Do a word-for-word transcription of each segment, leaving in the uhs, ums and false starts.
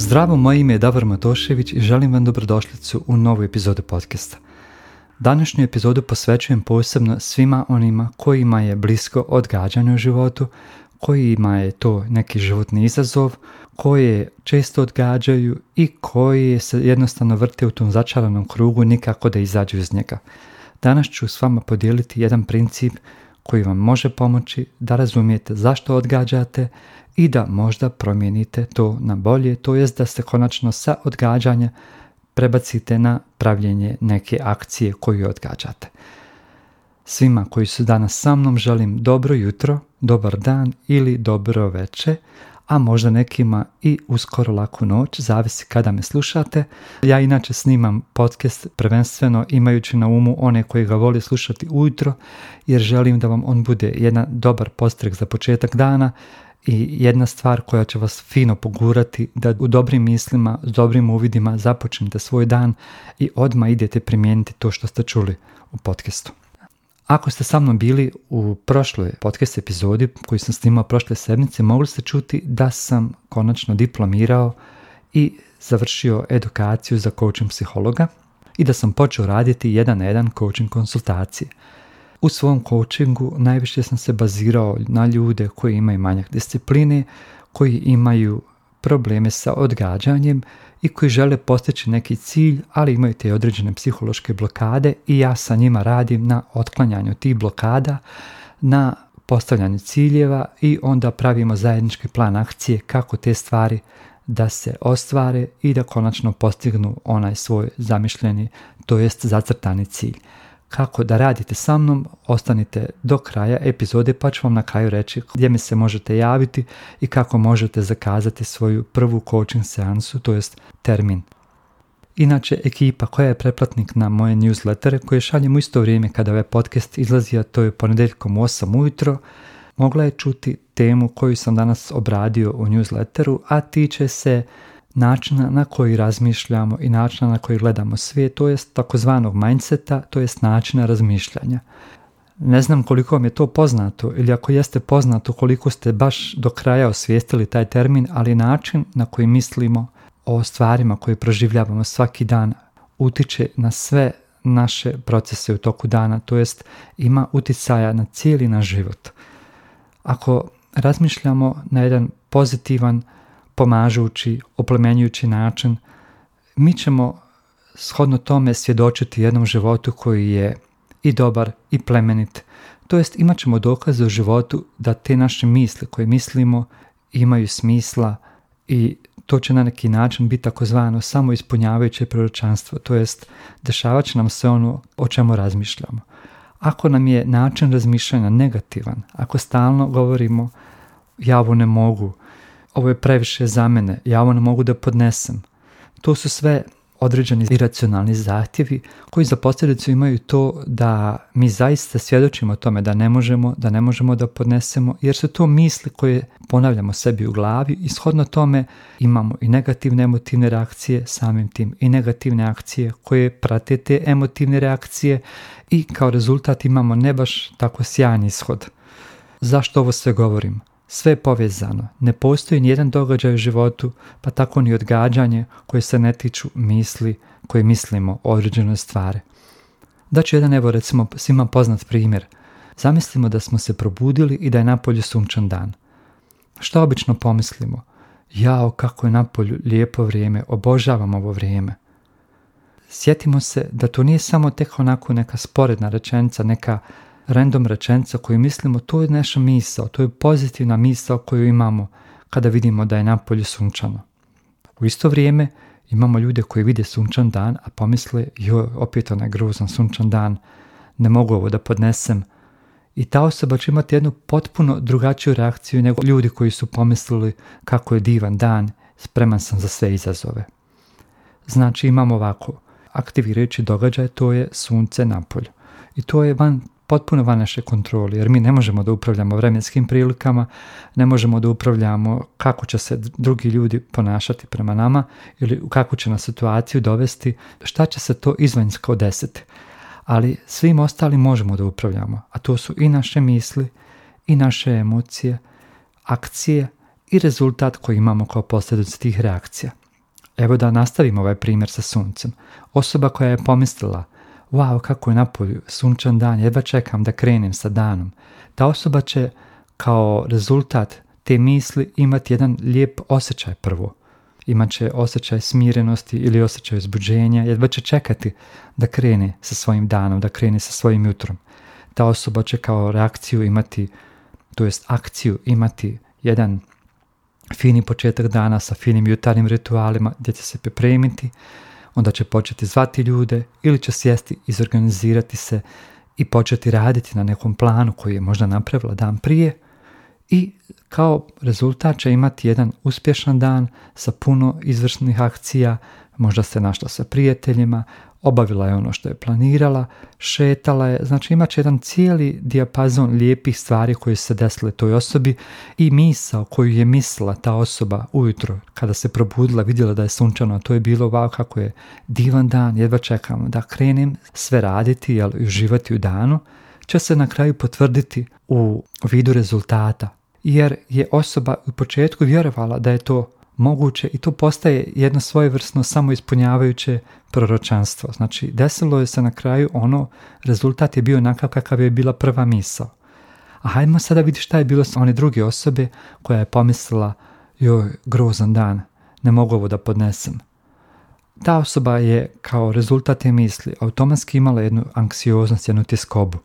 Zdravo, moje ime je Davor Matošević i želim vam dobrodošlicu u novu epizodu podcasta. Današnju epizodu posvećujem posebno svima onima kojima je blisko odgađanje u životu, kojima je to neki životni izazov, koje često odgađaju i koji se jednostavno vrte u tom začaranom krugu nikako da izađu iz njega. Danas ću s vama podijeliti jedan princip koji vam može pomoći da razumijete zašto odgađate i da možda promijenite to na bolje, to jest da se konačno sa odgađanja prebacite na pravljenje neke akcije koju odgađate. Svima koji su danas sa mnom želim dobro jutro, dobar dan ili dobro večer, a možda nekima i uskoro laku noć, zavisi kada me slušate. Ja inače snimam podcast prvenstveno imajući na umu one koji ga vole slušati ujutro, jer želim da vam on bude jedan dobar postrek za početak dana i jedna stvar koja će vas fino pogurati da u dobrim mislima, s dobrim uvidima započnete svoj dan i odmah idete primijeniti to što ste čuli u podcastu. Ako ste sa mnom bili u prošloj podcast epizodi koju sam snimao prošle sedmice, mogli ste čuti da sam konačno diplomirao i završio edukaciju za coaching psihologa i da sam počeo raditi jedan na jedan coaching konsultacije. U svom coachingu najviše sam se bazirao na ljude koji imaju manjak discipline, koji imaju probleme sa odgađanjem i koji žele postići neki cilj, ali imaju te određene psihološke blokade i ja sa njima radim na otklanjanju tih blokada, na postavljanju ciljeva i onda pravimo zajednički plan akcije kako te stvari da se ostvare i da konačno postignu onaj svoj zamišljeni, to jest zacrtani cilj. Kako da radite sa mnom, ostanite do kraja epizode pa ću vam na kraju reći gdje mi se možete javiti i kako možete zakazati svoju prvu coaching seansu, to jest termin. Inače, ekipa koja je pretplatnik na moje newslettere koje šaljem u isto vrijeme kada ovaj podcast izlazi, a to je ponedjeljkom u osam ujutro, mogla je čuti temu koju sam danas obradio u newsletteru, a tiče se načina na koji razmišljamo i načina na koji gledamo svijet, to jest takozvanog mindseta, to jest načina razmišljanja. Ne znam koliko vam je to poznato ili ako jeste poznato koliko ste baš do kraja osvijestili taj termin, ali način na koji mislimo o stvarima koje proživljavamo svaki dan utiče na sve naše procese u toku dana, to jest ima uticaja na cijeli naš život. Ako razmišljamo na jedan pozitivan, pomažući, oplemenjujući način, mi ćemo shodno tome svjedočiti jednom životu koji je i dobar i plemenit. To jest imat ćemo dokaze u životu da te naše misli koje mislimo imaju smisla i to će na neki način biti takozvano samoispunjavajuće proročanstvo, to jest dešavat će nam se ono o čemu razmišljamo. Ako nam je način razmišljanja negativan, ako stalno govorimo ja ovo ne mogu, ovo je previše za mene, ja ovo ne mogu da podnesem. To su sve određeni iracionalni zahtjevi koji za posljedicu imaju to da mi zaista svjedočimo tome da ne možemo, da ne možemo da podnesemo, jer su to misli koje ponavljamo sebi u glavi i shodno tome imamo i negativne emotivne reakcije samim tim i negativne akcije koje prate te emotivne reakcije i kao rezultat imamo ne baš tako sjajan ishod. Zašto ovo sve govorim? Sve je povezano. Ne postoji nijedan događaj u životu, pa tako ni odgađanje koje se ne tiču misli koje mislimo o određenoj stvari. Daću jedan, evo recimo, svima poznat primjer. Zamislimo da smo se probudili i da je napolju sunčan dan. Što obično pomislimo? Jao, kako je napolju lijepo vrijeme, obožavam ovo vrijeme. Sjetimo se da to nije samo tek onako neka sporedna rečenica, neka random rečenica koju mislimo, to je naša misao, to je pozitivna misao koju imamo kada vidimo da je napolju sunčano. U isto vrijeme imamo ljude koji vide sunčan dan, a pomisle, joj, opet onaj grozan sunčan dan, ne mogu ovo da podnesem. I ta osoba će imati jednu potpuno drugačiju reakciju nego ljudi koji su pomislili kako je divan dan, spreman sam za sve izazove. Znači imamo ovako, aktivirajući događaj, to je sunce napolju. I to je van potpuno van naše kontrole, jer mi ne možemo da upravljamo vremenskim prilikama, ne možemo da upravljamo kako će se drugi ljudi ponašati prema nama ili u kakvu će nas situaciju dovesti, šta će se to izvanjsko desiti. Ali svim ostalim možemo da upravljamo, a to su i naše misli, i naše emocije, akcije i rezultat koji imamo kao posljedicu tih reakcija. Evo da nastavimo ovaj primjer sa suncem. Osoba koja je pomislila, wow, kako je napolju sunčan dan, jedva čekam da krenem sa danom. Ta osoba će kao rezultat te misli imati jedan lijep osjećaj prvo. Imat će osjećaj smirenosti ili osjećaj uzbuđenja, jedva će čekati da krene sa svojim danom, da krene sa svojim jutrom. Ta osoba će kao reakciju imati, to jest akciju imati jedan fini početak dana sa finim jutarnjim ritualima gdje će se pripremiti, onda će početi zvati ljude ili će sjesti, izorganizirati se i početi raditi na nekom planu koji je možda napravila dan prije i kao rezultat će imati jedan uspješan dan sa puno izvršnih akcija, možda se našla sa prijateljima, obavila je ono što je planirala, šetala je, znači imat će jedan cijeli dijapazon lijepih stvari koje su se desile toj osobi i misao koju je mislila ta osoba ujutro kada se probudila, vidjela da je sunčano, to je bilo wow, kako je divan dan, jedva čekam da krenem sve raditi jel, i uživati u danu, će se na kraju potvrditi u vidu rezultata, jer je osoba u početku vjerovala da je to moguće i to postaje jedno svojevrsno samoispunjavajuće proročanstvo. Znači, desilo je se na kraju ono, rezultat je bio onakav kakav je bila prva misao. A hajdemo sada vidjeti šta je bilo s one druge osobe koja je pomislila, joj, grozan dan, ne mogu ovo da podnesem. Ta osoba je kao rezultat te misli automatski imala jednu anksioznost, jednu tjeskobu.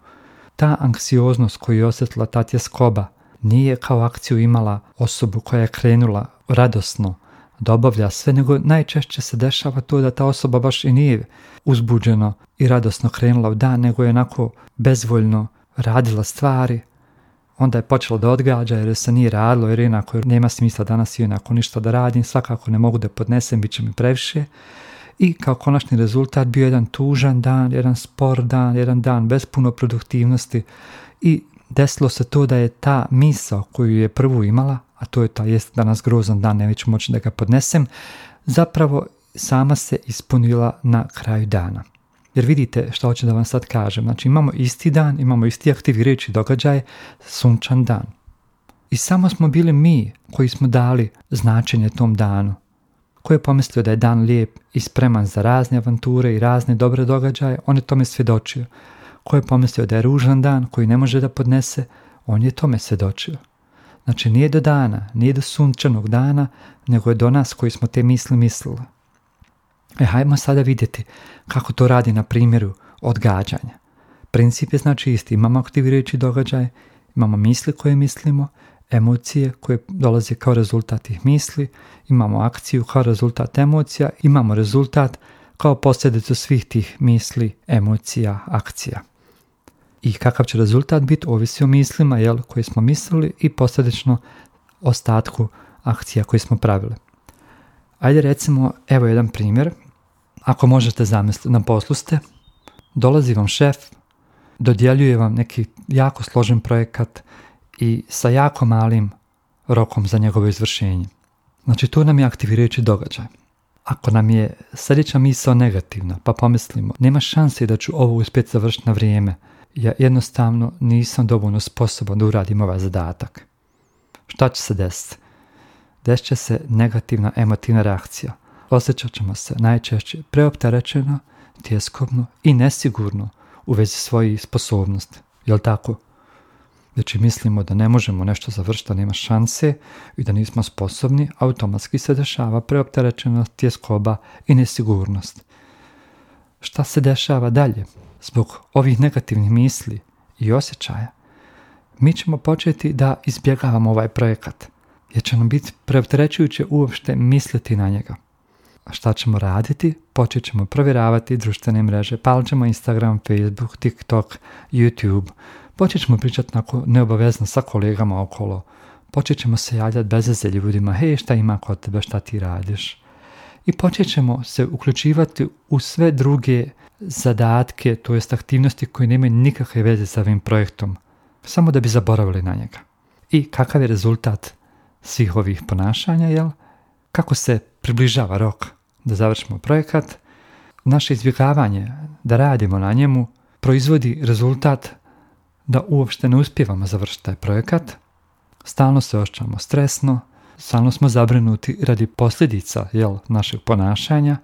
Ta anksioznost koju je osjetila ta tjeskoba nije kao akciju imala osobu koja je krenula radosno da obavlja sve, nego najčešće se dešava to da ta osoba baš i nije uzbuđeno i radosno krenula u dan, nego je onako bezvoljno radila stvari. Onda je počela da odgađa jer se nije radilo, jer jednako nema smisla danas i jednako ništa da radim, svakako ne mogu da podnesem, bit će mi previše. I kao konačni rezultat bio jedan tužan dan, jedan spor dan, jedan dan bez puno produktivnosti i desilo se to da je ta misao koju je prvu imala, a to je ta jest danas grozan dan, neću moći da ga podnesem, zapravo sama se ispunila na kraju dana. Jer vidite što hoću da vam sad kažem, znači imamo isti dan, imamo isti aktivirajući događaj, sunčan dan. I samo smo bili mi koji smo dali značenje tom danu, koji je pomislio da je dan lijep i spreman za razne avanture i razne dobre događaje, on je tome svjedočio. Ko je pomislio da je ružan dan koji ne može da podnese, on je tome svjedočio. Znači nije do dana, nije do sunčanog dana, nego je do nas koji smo te misli mislili. E, hajmo sada vidjeti kako to radi na primjeru odgađanja. Princip je znači isti, imamo aktivirajući događaj, imamo misli koje mislimo, emocije koje dolaze kao rezultat tih misli, imamo akciju kao rezultat emocija, imamo rezultat kao posljedicu svih tih misli, emocija, akcija. I kakav će rezultat biti, ovisi o mislima jel, koje smo mislili i posljedično ostatku akcija koje smo pravili. Ajde recimo, evo jedan primjer. Ako možete zamisliti, na poslu ste, dolazi vam šef, dodjeljuje vam neki jako složen projekat i sa jako malim rokom za njegovo izvršenje. Znači, to nam je aktivirajući događaj. Ako nam je sljedeća misao negativna, pa pomislimo, nema šanse da ću ovo uspjeti završiti na vrijeme, ja jednostavno nisam dovoljno sposoban da uradim ovaj zadatak. Šta će se desiti? Desit će se negativna emotivna reakcija. Osjećat ćemo se najčešće preopterećeno, tjeskobno i nesigurno u vezi svojih sposobnosti. Jel tako? Znači mislimo da ne možemo nešto završiti, da nema šanse i da nismo sposobni, automatski se dešava preopterećenost, tjeskoba i nesigurnost. Šta se dešava dalje? Zbog ovih negativnih misli i osjećaja, mi ćemo početi da izbjegavamo ovaj projekat, jer će nam biti preopterećujuće uopšte misliti na njega. A šta ćemo raditi? Počet ćemo provjeravati društvene mreže, palit ćemo Instagram, Facebook, TikTok, YouTube, počet ćemo pričati onako neobavezno sa kolegama okolo, počet ćemo se javljati bez veze ljudima, hej, šta ima kod tebe, šta ti radiš? I počet ćemo se uključivati u sve druge zadatke, to jest aktivnosti koje nemaju nikakve veze sa ovim projektom, samo da bi zaboravili na njega. I kakav je rezultat svih ovih ponašanja, jel? Kako se približava rok da završimo projekat, naše izbjegavanje da radimo na njemu proizvodi rezultat da uopšte ne uspijevamo završiti taj projekat, stalno se osjećamo stresno, stalno smo zabrinuti radi posljedica jel, našeg ponašanja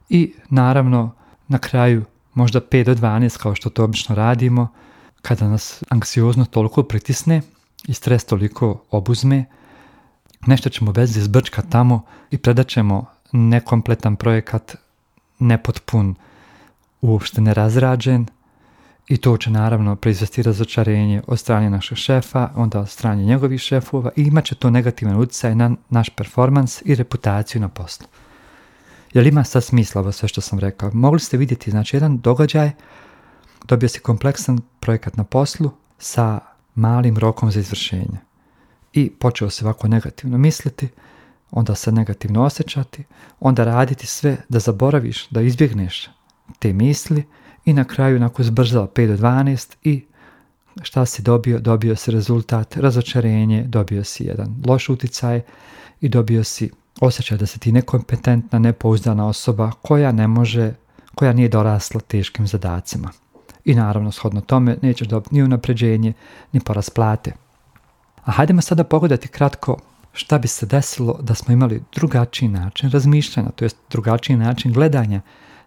i naravno na kraju možda pet do dvanaest kao što to obično radimo, kada nas anksioznost toliko pritisne i stres toliko obuzme, nešto ćemo bez izbrčka tamo i predat ćemo nekompletan projekat, nepotpun, uopšte nerazrađen i to će naravno proizvesti razočarenje od strane našeg šefa, onda od strane njegovih šefova i imat će to negativan utjecaj na naš performans i reputaciju na poslu. Jel ima sad smisla ovo sve što sam rekao? Mogli ste vidjeti, znači jedan događaj, dobio si kompleksan projekat na poslu sa malim rokom za izvršenje. I počeo se ovako negativno misliti, onda se negativno osjećati, onda raditi sve da zaboraviš, da izbjegneš te misli i na kraju nakon zbrzao pet do dvanaest i šta si dobio? Dobio si rezultat, razočarenje, dobio si jedan loš utjecaj i dobio si osjećaj da si ti nekompetentna, nepouzdana osoba koja ne može, koja nije dorasla teškim zadacima. I naravno, shodno tome, nećeš dobiti ni unapređenje, ni porast plate. A hajdemo sada pogledati kratko šta bi se desilo da smo imali drugačiji način razmišljanja, to jest drugačiji način gledanja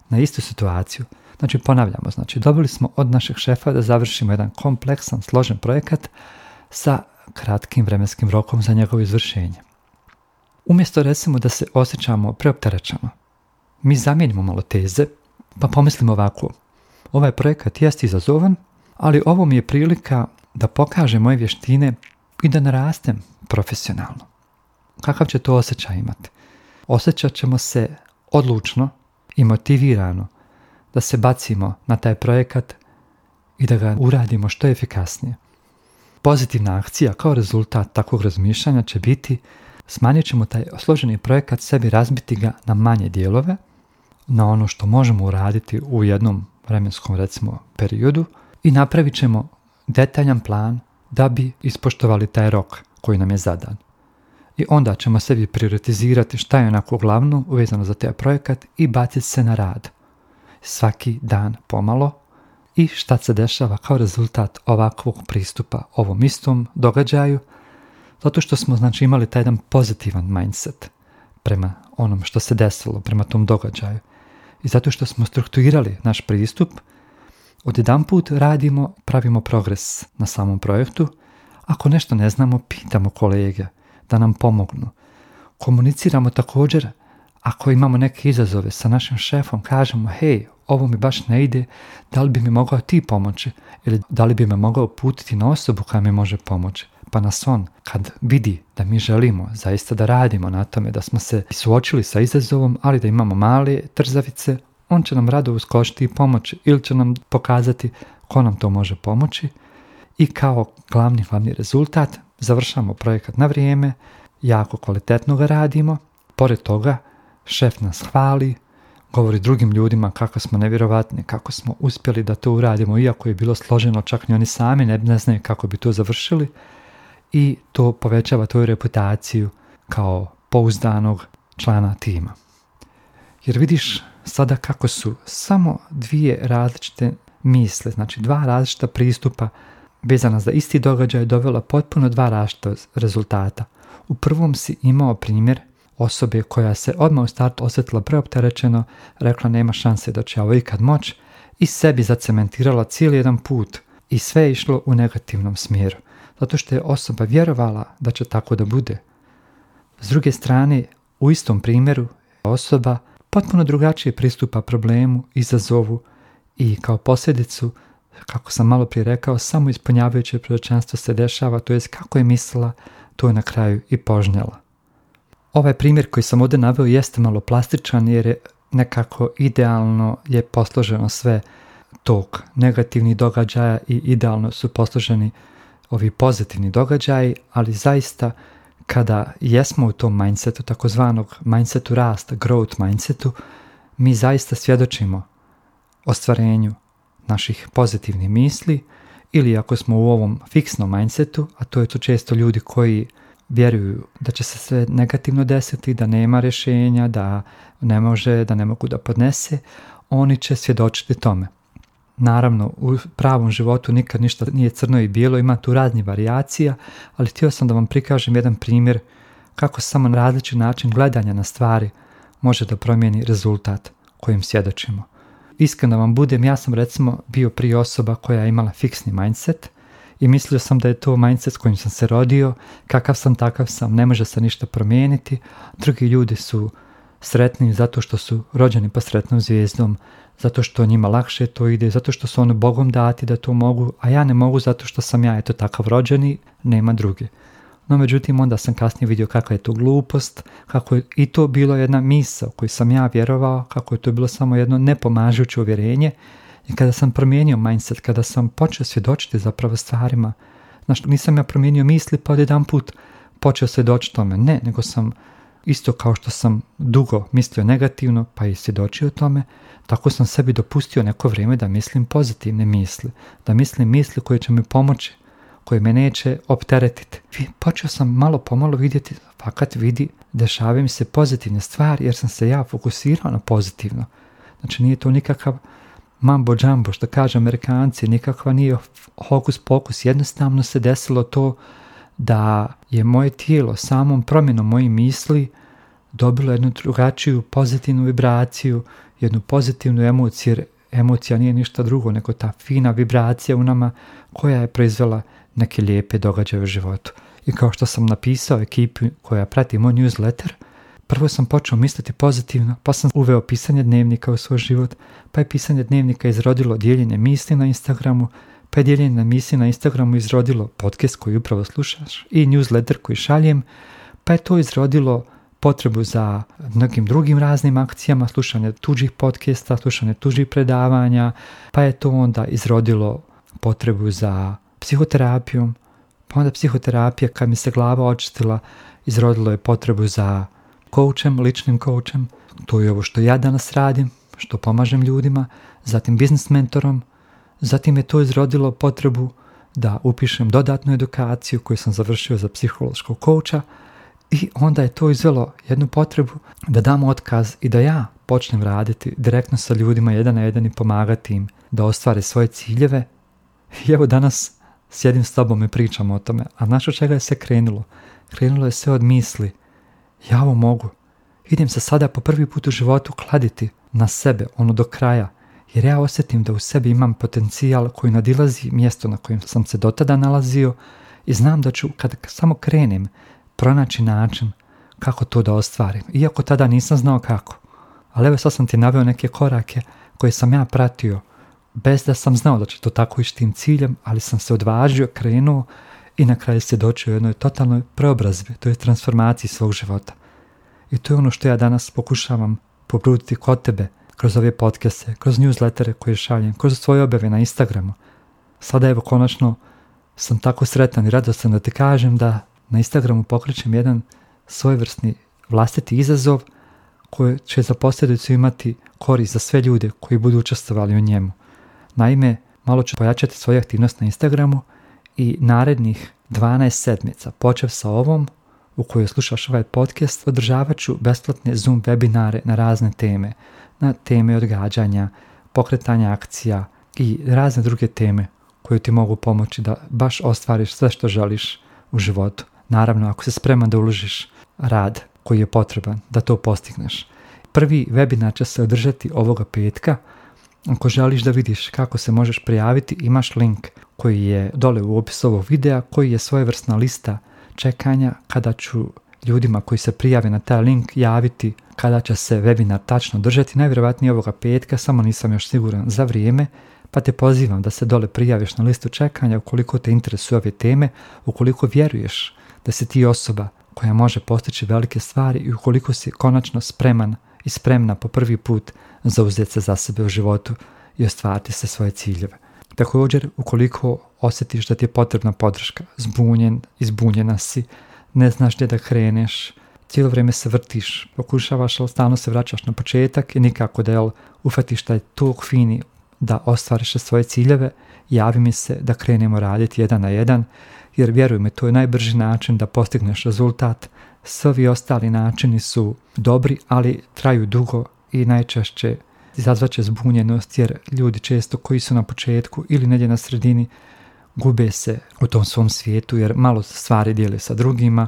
na istu situaciju. Znači, ponavljamo, znači, dobili smo od našeg šefa da završimo jedan kompleksan, složen projekat sa kratkim vremenskim rokom za njegovo izvršenje. Umjesto, recimo, da se osjećamo preopterećeno, mi zamijenimo malo teze, pa pomislimo ovako. Ovaj projekat jest izazovan, ali ovo mi je prilika da pokažem moje vještine i da narastem profesionalno. Kakav će to osjećaj imati? Osjećat ćemo se odlučno i motivirano da se bacimo na taj projekat i da ga uradimo što efikasnije. Pozitivna akcija kao rezultat takvog razmišljanja će biti smanjit ćemo taj složeni projekat sebi, razbiti ga na manje dijelove, na ono što možemo uraditi u jednom vremenskom recimo periodu i napravit ćemo detaljan plan da bi ispoštovali taj rok koji nam je zadan. I onda ćemo sebi prioritizirati šta je onako glavno uvezano za taj projekat i baciti se na rad. Svaki dan pomalo i šta se dešava kao rezultat ovakvog pristupa ovom istom događaju, zato što smo znači imali taj jedan pozitivan mindset prema onom što se desilo, prema tom događaju. I zato što smo strukturirali naš pristup, odjedanput radimo, pravimo progres na samom projektu. Ako nešto ne znamo, pitamo kolege da nam pomognu. Komuniciramo također, ako imamo neke izazove sa našim šefom, kažemo, hej, ovo mi baš ne ide, da li bi mi mogao ti pomoći ili da li bi me mogao uputiti na osobu koja mi može pomoći. Pa nas on, kad vidi da mi želimo zaista da radimo na tome, da smo se suočili sa izazovom, ali da imamo male trzavice, on će nam rado uskočiti i pomoći ili će nam pokazati ko nam to može pomoći. I kao glavni, glavni rezultat završamo projekat na vrijeme, jako kvalitetno ga radimo. Pored toga, šef nas hvali, govori drugim ljudima kako smo nevjerovatni, kako smo uspjeli da to uradimo, iako je bilo složeno, čak ni oni sami ne, ne znaju kako bi to završili. I to povećava tvoju reputaciju kao pouzdanog člana tima. Jer vidiš sada kako su samo dvije različite misle, znači dva različita pristupa vezana za isti događaj dovela potpuno dva različita rezultata. U prvom si imao primjer osobe koja se odmah u startu osjetila preopterećeno, rekla nema šanse da će ovo ikad moći i sebi zacementirala cijeli jedan put i sve je išlo u negativnom smjeru. Zato što je osoba vjerovala da će tako da bude. S druge strane, u istom primjeru osoba potpuno drugačije pristupa problemu, izazovu i kao posljedicu, kako sam malo prije rekao, samo ispunjavajuće proročanstvo se dešava, to jest kako je mislila, to je na kraju i požnjela. Ovaj primjer koji sam ovdje naveo jeste malo plastičan jer je nekako idealno je posloženo sve tog negativnih događaja i idealno su posloženi ovi pozitivni događaji, ali zaista kada jesmo u tom mindsetu, takozvanog mindsetu rasta, growth mindsetu, mi zaista svjedočimo ostvarenju naših pozitivnih misli ili ako smo u ovom fiksnom mindsetu, a to je to često ljudi koji vjeruju da će se sve negativno desiti, da nema rješenja, da ne može, da ne mogu da podnese, oni će svjedočiti tome. Naravno, u pravom životu nikad ništa nije crno i bijelo, ima tu raznih varijacija, ali htio sam da vam prikažem jedan primjer kako samo različit način gledanja na stvari može da promijeni rezultat kojim svjedočimo. Iskreno vam budem, ja sam recimo bio prije osoba koja je imala fiksni mindset i mislio sam da je to mindset s kojim sam se rodio, kakav sam takav sam, ne može se ništa promijeniti. Drugi ljudi su sretni zato što su rođeni pa sretnom zvijezdom, zato što njima lakše to ide, zato što su oni Bogom dati da to mogu, a ja ne mogu zato što sam ja eto takav rođeni, nema druge. No međutim, onda sam kasnije vidio kakva je to glupost, kako je i to bilo jedna misao koju sam ja vjerovao, kako je to bilo samo jedno nepomažuće uvjerenje. I kada sam promijenio mindset, kada sam počeo svjedočiti zapravo stvarima, znači nisam ja promijenio misli pa odjedan put počeo svjedočiti tome, ne, nego sam isto kao što sam dugo mislio negativno pa i svjedočio tome, tako sam sebi dopustio neko vrijeme da mislim pozitivne misli, da mislim misli koje će mi pomoći, koje me neće opteretiti. Počeo sam malo pomalo vidjeti, fakat vidi, dešavaju mi se pozitivne stvari jer sam se ja fokusirao na pozitivno. Znači nije to nikakav mambo džambo, što kaže Amerikanci, nikakva nije hokus pokus, jednostavno se desilo to da je moje tijelo samom promjenom mojih misli dobilo jednu drugačiju pozitivnu vibraciju, jednu pozitivnu emociju, jer emocija nije ništa drugo nego ta fina vibracija u nama koja je proizvela neke lijepe događaje u životu. I kao što sam napisao ekipi koja prati moj newsletter, prvo sam počeo misliti pozitivno, pa sam uveo pisanje dnevnika u svoj život, pa je pisanje dnevnika izrodilo dijeljenje misli na Instagramu, pa je dijeljenje misli na Instagramu izrodilo podcast koji upravo slušaš i newsletter koji šaljem, pa je to izrodilo potrebu za mnogim drugim raznim akcijama, slušanje tuđih podcasta, slušanje tuđih predavanja, pa je to onda izrodilo potrebu za psihoterapijom, pa onda psihoterapija kad mi se glava očistila, izrodilo je potrebu za coachem, ličnim coachem, to je ovo što ja danas radim, što pomažem ljudima, zatim business mentorom, zatim je to izrodilo potrebu da upišem dodatnu edukaciju koju sam završio za psihološkog coacha i onda je to izvelo jednu potrebu da dam otkaz i da ja počnem raditi direktno sa ljudima jedan na jedan i pomagati im da ostvare svoje ciljeve. I evo danas sjedim s tobom i pričam o tome, a znaš od čega je se krenulo? Krenulo je sve od misli. Ja ovo mogu. Idem se sada po prvi put u životu kladiti na sebe, ono do kraja, jer ja osjetim da u sebi imam potencijal koji nadilazi mjesto na kojem sam se do tada nalazio i znam da ću, kad samo krenem, pronaći način kako to da ostvarim, iako tada nisam znao kako. Ali evo sad sam ti naveo neke korake koje sam ja pratio, bez da sam znao da će to tako ići tim ciljem, ali sam se odvažio, krenuo i na kraju se dočio jednoj totalnoj preobrazbi, to je transformaciji svog života. I to je ono što ja danas pokušavam popruditi kod tebe, kroz ove podcaste, kroz newslettere koje šaljem, kroz svoje objave na Instagramu. Sada evo konačno sam tako sretan i radostan da ti kažem da na Instagramu pokrećem jedan svojevrsni vlastiti izazov koji će za posljedicu imati korist za sve ljude koji budu učestvovali u njemu. Naime, malo ću pojačati svoju aktivnost na Instagramu i narednih dvanaest sedmica, počev sa ovom u kojoj slušaš ovaj podcast, održavat ću besplatne Zoom webinare na razne teme, na teme odgađanja, pokretanja akcija i razne druge teme koje ti mogu pomoći da baš ostvariš sve što želiš u životu. Naravno, ako se spreman da uložiš rad koji je potreban da to postigneš. Prvi webinar će se održati ovoga petka. Ako želiš da vidiš kako se možeš prijaviti, imaš link koji je dole u opisu ovog videa, koji je svojevrsna lista čekanja kada ću ljudima koji se prijave na taj link javiti kada će se webinar tačno držati, najvjerojatnije ovoga petka, samo nisam još siguran za vrijeme, pa te pozivam da se dole prijaviš na listu čekanja ukoliko te interesuju ove teme, ukoliko vjeruješ da si ti osoba koja može postići velike stvari i ukoliko si konačno spreman i spremna po prvi put zauzeti se za sebe u životu i ostvariti se svoje ciljeve. Također, ukoliko osjetiš da ti je potrebna podrška, zbunjen, izbunjena si, ne znaš gdje da kreneš, cijelo vrijeme se vrtiš, pokušavaš, ali stalno se vraćaš na početak i nikako da jel, ufatiš taj tok fini da ostvariš svoje ciljeve, javi mi se da krenemo raditi jedan na jedan, jer vjeruj mi, to je najbrži način da postigneš rezultat. Svi ostali načini su dobri, ali traju dugo i najčešće izazvaće zbunjenost, jer ljudi često koji su na početku ili negdje na sredini gube se u tom svom svijetu, jer malo stvari dijele sa drugima,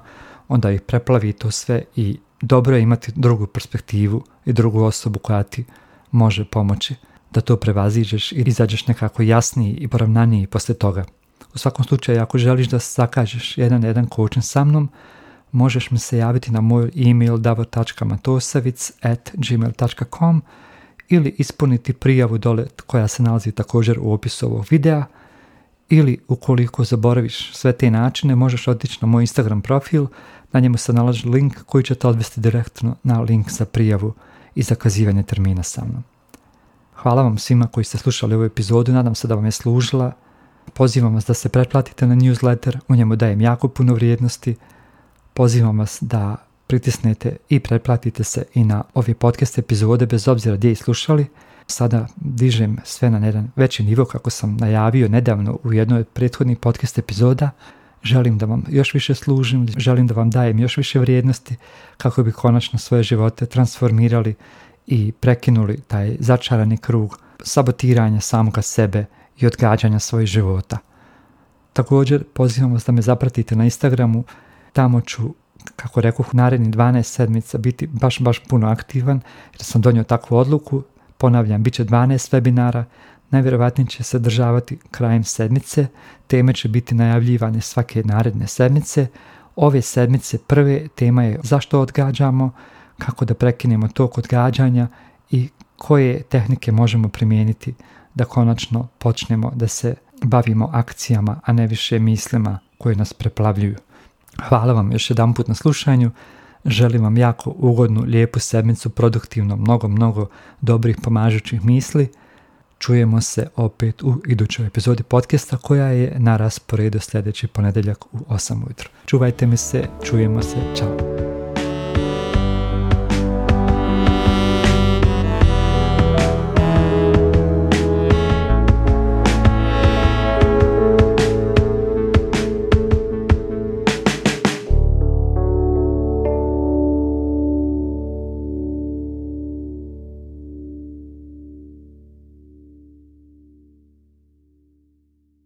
onda ih preplavi to sve i dobro je imati drugu perspektivu i drugu osobu koja ti može pomoći da to prevaziđeš i izađeš nekako jasniji i poravnaniji poslije toga. U svakom slučaju, ako želiš da zakažeš jedan na jedan coaching sa mnom, možeš mi se javiti na moj e-mail davor tačka matosavic at gmail tačka com ili ispuniti prijavu dole koja se nalazi također u opisu ovog videa, ili ukoliko zaboraviš sve te načine, možeš otići na moj Instagram profil, na njemu se nalazi link koji će te odvesti direktno na link za prijavu i zakazivanje termina sa mnom. Hvala vam svima koji ste slušali ovu epizodu, nadam se da vam je služila. Pozivam vas da se pretplatite na newsletter, u njemu dajem jako puno vrijednosti. Pozivam vas da pritisnete i pretplatite se i na ove podcast epizode bez obzira gdje ih slušali. Sada dižem sve na jedan veći nivo kako sam najavio nedavno u jednoj od prethodnih podcast epizoda. Želim da vam još više služim, želim da vam dajem još više vrijednosti kako bi konačno svoje živote transformirali i prekinuli taj začarani krug sabotiranja samoga sebe i odgađanja svojih života. Također pozivam vas da me zapratite na Instagramu, tamo ću, kako rekoh, u narednih dvanaest sedmica biti baš, baš puno aktivan jer sam donio takvu odluku. Ponavljam, bit će dvanaest webinara, najvjerojatnije će se održavati krajem sedmice, teme će biti najavljivane svake naredne sedmice. Ove sedmice prve tema je zašto odgađamo, kako da prekinemo tok odgađanja i koje tehnike možemo primijeniti da konačno počnemo da se bavimo akcijama, a ne više mislima koje nas preplavljuju. Hvala vam još jedan put na slušanju. Želim vam jako ugodnu, lijepu sedmicu, produktivno, mnogo, mnogo dobrih pomažućih misli. Čujemo se opet u idućoj epizodi podcasta koja je na rasporedu sljedeći ponedjeljak u osam ujutro. Čuvajte mi se, čujemo se, čao.